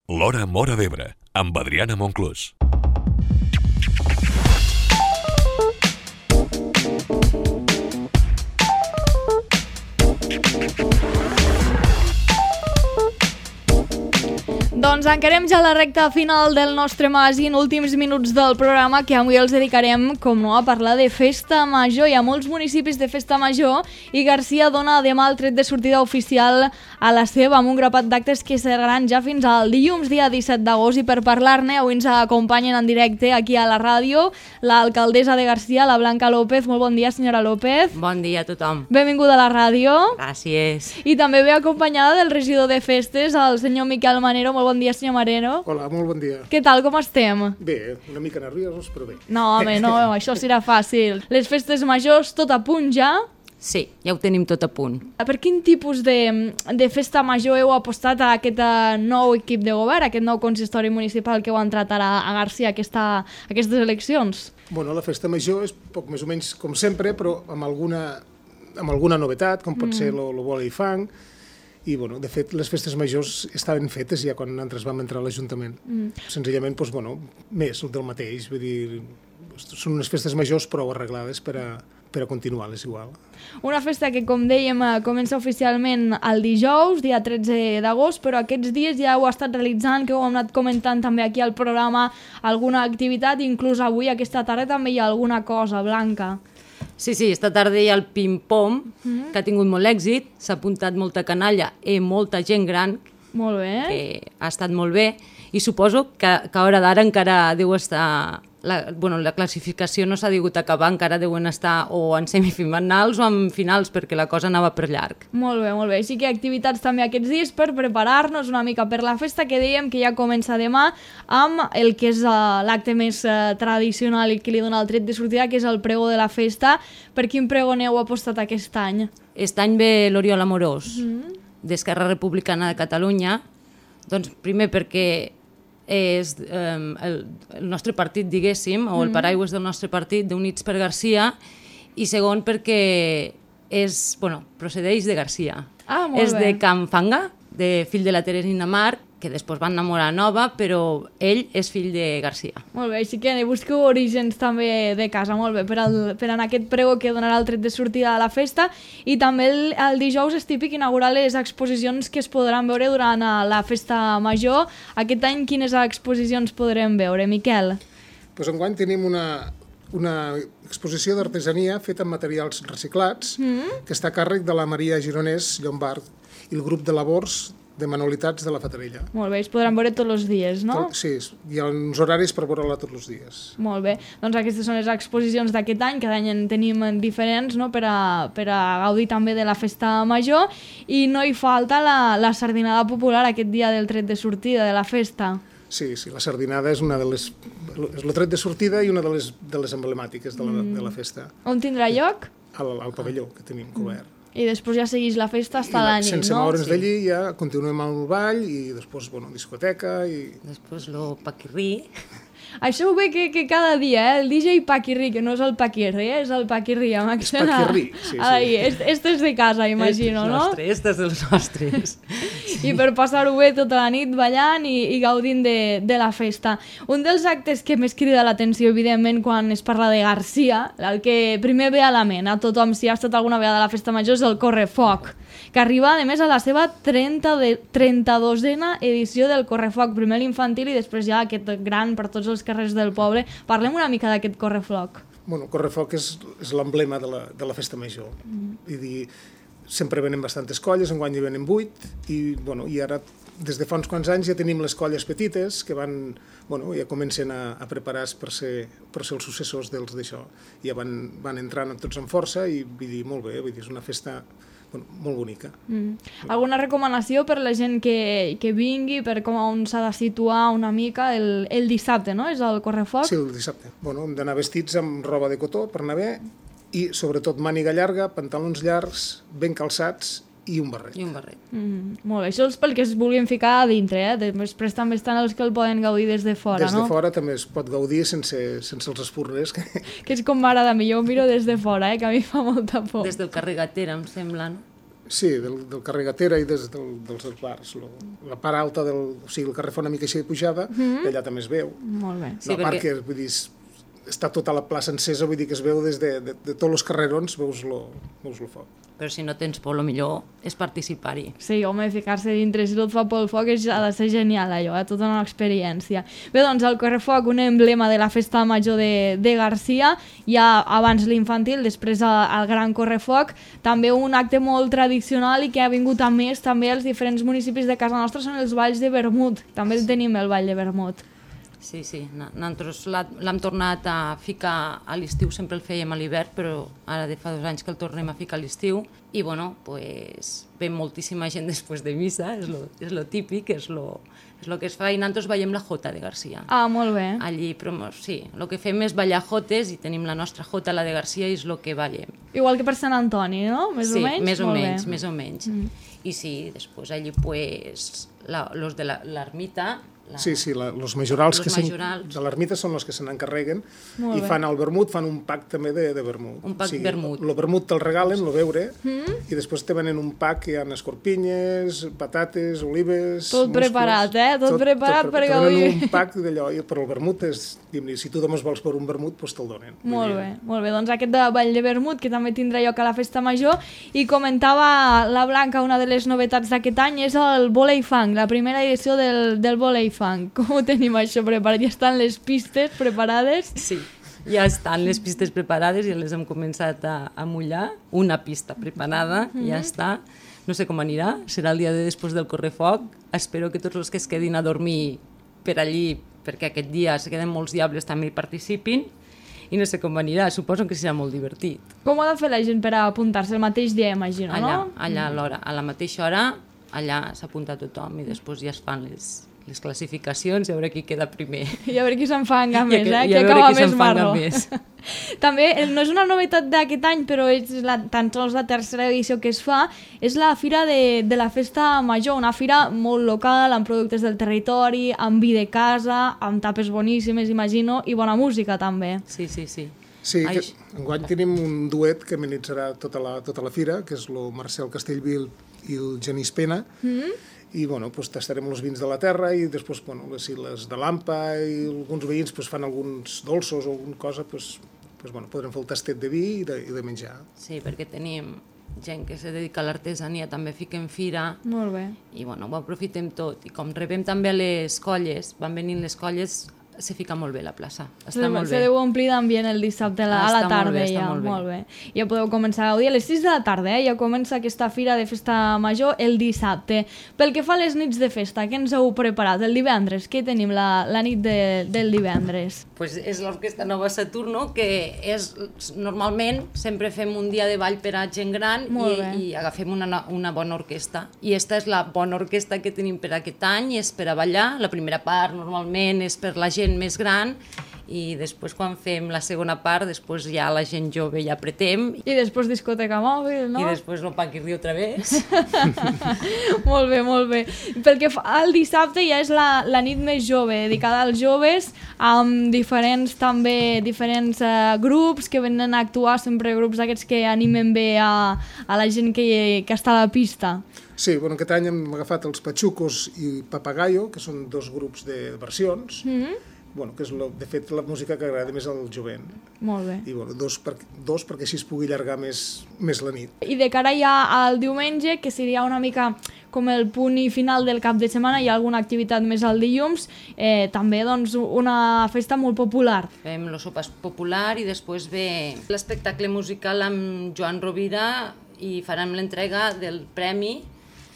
L'Hora Móra d'Ebre, amb Adriana Monclús. Doncs encarem ja la recta final del nostre magazín, últims minuts del programa, que avui els dedicarem, com no, a parlar de Festa Major. Hi ha molts municipis de Festa Major i Garcia dona demà el tret de sortida oficial a la seva, amb un grapat d'actes que seran ja fins al dilluns, dia 17 d'agost. I per parlar-ne, avui ens acompanyen en directe aquí a la ràdio l'alcaldessa de Garcia, la Blanca López. Molt bon dia, senyora López. Bon dia a tothom. Benvinguda a la ràdio. Gràcies. I també ve acompanyada del regidor de festes, el senyor Miquel Manero. Molt bon dia, senyor Mareno. Hola, molt bon dia. Què tal, com estem? Bé, una mica nerviosos, però bé. No, home, no, això serà fàcil. Les festes majors, tot a punt ja? Sí, ja ho tenim tot a punt. Per quin tipus de festa major heu apostat a aquest nou equip de govern, aquest nou consistori municipal que heu entrat ara a Garcia aquestes eleccions? Bueno, la festa major és poc més o menys com sempre, però amb alguna novetat, com pot ser lo bola i fang. I, bueno, de fet, les festes majors estaven fetes ja quan nosaltres vam entrar a l'Ajuntament. Senzillament, doncs, bueno, més del mateix. Vull dir, són unes festes majors prou arreglades per a continuar-les igual. Una festa que, com dèiem, comença oficialment el dijous, dia 13 d'agost, però aquests dies ja ho ha estat realitzant, que ho hem anat comentant també aquí al programa, alguna activitat, inclús avui, aquesta tarda, també hi ha alguna cosa, Blanca. Sí, esta tarda hi ha el ping-pong, que ha tingut molt èxit, s'ha apuntat molta canalla i molta gent gran, Molt bé. que ha estat molt bé, i suposo que a hora d'ara encara deu estar... La classificació no s'ha degut acabar, encara deuen estar o en semifinals o en finals, perquè la cosa anava per llarg. Molt bé, molt bé. Sí que hi ha activitats també aquests dies per preparar-nos una mica per la festa, que dèiem que ja comença demà amb el que és l'acte més tradicional i que li dona el tret de sortida, que és el pregó de la festa. Per quin pregó n'heu apostat aquest any? Aquest any ve l'Oriol Amorós, d'Esquerra Republicana de Catalunya, doncs primer perquè és el nostre partit, diguéssim, o el paraigües del nostre partit, d'Units per Garcia, i segon perquè procedeix de Garcia. Molt és bé. de Can Fanga, de fill de la Teresina Mar, que després van enamorar Nova, però ell és fill de Garcia. Molt bé, així que busqueu orígens també de casa, molt bé, per anar a aquest pregó que donarà el tret de sortida de la festa. I també el dijous és típic inaugurar les exposicions que es podran veure durant la festa major. Aquest any quines exposicions podrem veure, Miquel? Doncs enguany tenim una exposició d'artesania feta amb materials reciclats, que està a càrrec de la Maria Gironès Llombard i el grup de labors de manualitats de la Fatarella. Molt bé, es podran veure tots els dies, no? Sí, hi ha uns horaris per veure-la tots els dies. Molt bé, doncs aquestes són les exposicions d'aquest any, cada any en tenim diferents, no? per a gaudir també de la festa major, i no hi falta la sardinada popular aquest dia del tret de sortida de la festa. Sí, la sardinada és és el tret de sortida i una de les emblemàtiques de la festa. On tindrà lloc? Al pavelló que tenim cobert. I després ja segueix la festa fins a la nit, no? Sense moure'ns d'allí ja continuem amb el ball i després, discoteca i... Després el paquirrí. Això ho ve que cada dia, el DJ Paquirrí, que no és el Paquirri, és el Paquirrí, amb accent a... Paquirrí, sí. Este és de casa, imagino, no? Este és dels nostres. I per passar-ho bé tota la nit ballant i gaudint de la festa. Un dels actes que més crida l'atenció, evidentment, quan es parla de Garcia, el que primer ve a la ment a tothom, si ha estat alguna vegada a la festa major, és el Correfoc, que arriba, a més, a la seva 32a edició del Correfoc, primer l'infantil i després ja aquest gran per tots els carrers del poble. Parlem una mica d'aquest Correfoc. Bueno, Correfoc és l'emblema de la festa major. Vull dir, sempre venen bastantes colles, enguany hi venen 8, i ara, des de fa uns quants anys, ja tenim les colles petites que ja comencen a preparar-se per ser els successors dels d'això. Ja van entrant tots amb força i vull dir, molt bé, és una festa molt bonica. Alguna recomanació per la gent que vingui, per on s'ha de situar una mica el dissabte, no? És el Correfoc? Sí, el dissabte. Hem d'anar vestits amb roba de cotó per anar bé i sobretot màniga llarga, pantalons llargs, ben calçats i un barret. Molt bé, això és pel que es vulguin ficar a dintre, després també estan els que el poden gaudir des de fora, no? Des de fora també es pot gaudir sense els espurners. Que és com m'agrada a mi, jo ho miro des de fora, que a mi fa molta por. Des del carrer Gatera, em sembla, no? Sí, del carrer Gatera i dels bars. La part alta o sigui, el carrer fa una mica així de pujada, allà també es veu. Molt bé. Sí, La part que, vull dir, està tota la plaça encesa, vull dir que es veu des de tots els carrerons, veus lo foc. Però si no tens por, el millor és participar-hi. Sí, home, ficar-se dintre, si tot fa pel foc, ha de ser genial allò, tota una experiència. Bé, doncs el correfoc, un emblema de la festa major de Garcia, ja abans l'infantil, després el gran correfoc, també un acte molt tradicional i que ha vingut a més també als diferents municipis de casa nostra són els balls de vermut. També tenim el ball de vermut. Sí, nosaltres l'hem tornat a ficar a l'estiu, sempre el fèiem a l'hivern, però ara de fa 2 anys que el tornem a ficar a l'estiu i bueno, pues, ve moltíssima gent després de missa, és lo típic, és lo que es fa, i nosaltres ballem la jota de Garcia. Ah, molt bé. Allí, però sí, el que fem és ballar jotes i tenim la nostra jota, la de Garcia, i és el que ballem. Igual que per Sant Antoni, no? Més o menys? Sí, més o menys. I sí, després allí, pues, los de l'ermita, Sí, els majorals de l'ermita són els que se n'encarreguen i fan el vermut, fan un pack també de vermut. Un pack vermut. El vermut te'l regalen, el beure, i després te venen un pack que hi ha escorpinyes, patates, olives... Tot preparat, Tot preparat per gaudir. Te venen un pack d'allò, però el vermut és... Si tu només vols per un vermut, doncs te'l donen. Molt bé. Doncs aquest ball de vermut, que també tindrà lloc a la festa major, i comentava la Blanca, una de les novetats d'aquest any és el volei fang, la primera edició del volei fang. Com ho tenim això preparat? Ja estan les pistes preparades? Sí, ja estan les pistes preparades, ja les hem començat a mullar. Una pista preparada, ja està. No sé com anirà, serà el dia de després del correfoc. Espero que tots els que es quedin a dormir per allí, perquè aquest dia se queden molts diables, també hi participin. I no sé com anirà, suposo que serà molt divertit. Com ha de fer la gent per apuntar-se el mateix dia, imagino, no? Allà a l'hora, a la mateixa hora, allà s'apunta tothom i després ja es fan les classificacions i a veure qui queda primer. I a veure qui s'enfanga més, qui acaba més marro. També, no és una novetat d'aquest any, però és tan sols la tercera edició que es fa, és la Fira de la Festa Major, una fira molt local, amb productes del territori, amb vi de casa, amb tapes boníssimes, imagino, i bona música també. Sí. Sí, enguany tenim un duet que amenitzarà tota la fira, que és el Marcel Castellvil i el Genís Pena, i bueno, pues, tastarem els vins de la terra i després les de l'Ampa i alguns veïns pues, fan alguns dolços o alguna cosa, pues, podrem fer el tastet de vi i de menjar. Sí, perquè tenim gent que se dedica a l'artesania, també fiquem fira. Molt bé. I bueno, ho aprofitem tot. I com rebem també a les colles, van venint les colles, se fica molt bé la plaça. Està molt bé. Se deu omplir d'ambient el dissabte a la tarda. Està molt bé. Ja podeu començar a gaudir a les 6 de la tarda, ja comença aquesta fira de festa major el dissabte. Pel que fa a les nits de festa, què ens heu preparat? El divendres, què tenim la nit del divendres? Pues és l'Orquestra Nova Saturno, que és, normalment sempre fem un dia de ball per a gent gran i agafem una bona orquestra. I esta és la bona orquestra que tenim per aquest any i és per a ballar. La primera part normalment és per la gent més gran i després quan fem la segona part, després ja la gent jove ja apretem. I després discoteca mòbil, no? I després lo paquirri otra vez. Molt bé. Pel que fa al dissabte ja és la nit més jove, dedicada als joves, amb diferents grups que venen a actuar, sempre grups d'aquests que animen bé a la gent que està a la pista. Sí, aquest any hem agafat els Pachucos i Papagayo, que són 2 grups de versions, que és, de fet, la música que agrada més al jovent. Molt bé. I dos perquè així es pugui allargar més la nit. I de cara ja al diumenge, que seria una mica com el punt i final del cap de setmana, hi ha alguna activitat més al dilluns, també una festa molt popular. Fem el sopar popular i després ve l'espectacle musical amb Joan Rovira i farem l'entrega del premi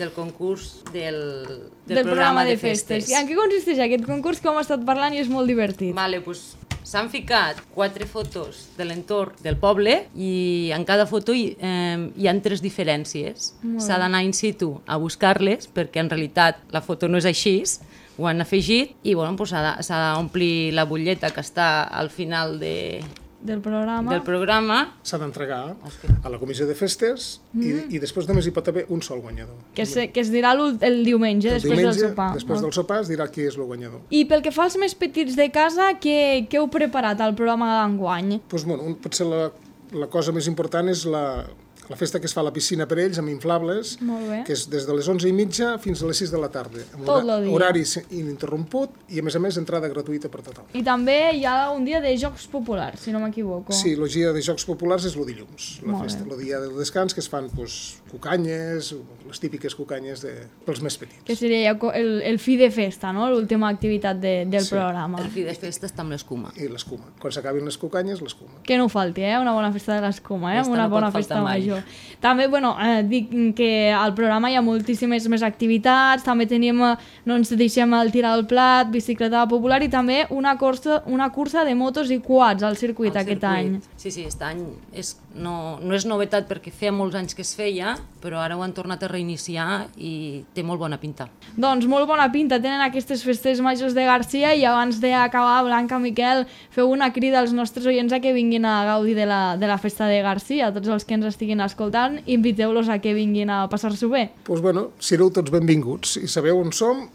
del concurs del programa de festes. I en què consisteix aquest concurs que hem estat parlant i és molt divertit? S'han ficat 4 fotos de l'entorn del poble i en cada foto hi ha 3 diferències. S'ha d'anar in situ a buscar-les perquè en realitat la foto no és així, ho han afegit i s'ha d'omplir la butlleta que està al final del programa. S'ha d'entregar a la comissió de festes i després només hi pot haver un sol guanyador. Que es dirà el diumenge, després del sopar. Després del sopar es dirà qui és el guanyador. I pel que fa als més petits de casa, què heu preparat al programa d'enguany? Potser la cosa més important és La festa que es fa a la piscina per ells, amb inflables, que és des de les 11:30 fins a les 6 de la tarda. Tot el dia. Horari ininterromput i, a més, entrada gratuïta per tothom. I també hi ha un dia de jocs populars, si no m'equivoco. Sí, el dia de jocs populars és el dilluns, la festa. El dia del descans, que es fan cucanyes, les típiques cucanyes pels més petits. Que seria el fi de festa, no? L'última activitat del programa. El fi de festa està amb l'escuma. I l'escuma. Quan s'acabin les cucanyes, l'escuma. Que no falti, una bona festa de l'escuma, una no bona festa major. També, dic que al programa hi ha moltíssimes més activitats, també tenim, no ens deixem el tirar al plat, bicicleta popular i també una cursa de motos i quads al circuit aquest any. Sí, aquest any no és novetat perquè feia molts anys que es feia, però ara ho han tornat a reiniciar i té molt bona pinta. Doncs molt bona pinta tenen aquestes festes majors de Garcia i abans d'acabar, Blanca, Miquel, feu una crida als nostres oients a que vinguin a gaudir de la festa de Garcia. Tots els que ens estiguin escoltant, inviteu-los a que vinguin a passar-s'ho bé. Doncs sereu tots benvinguts i sabeu on som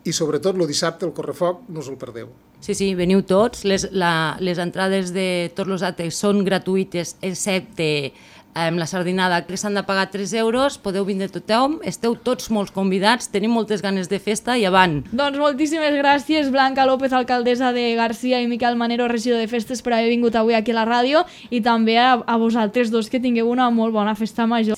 i sobretot el dissabte el correfoc no us el perdeu. Sí, veniu tots. Les entrades de tots els actes són gratuïtes excepte la sardinada, que s'han de pagar 3 euros, podeu vindre tothom, esteu tots molt convidats, tenim moltes ganes de festa i avant. Doncs moltíssimes gràcies, Blanca López, alcaldessa de Garcia, i Miquel Manero, regidor de festes, per haver vingut avui aquí a la ràdio, i també a vosaltres dos, que tingueu una molt bona festa major.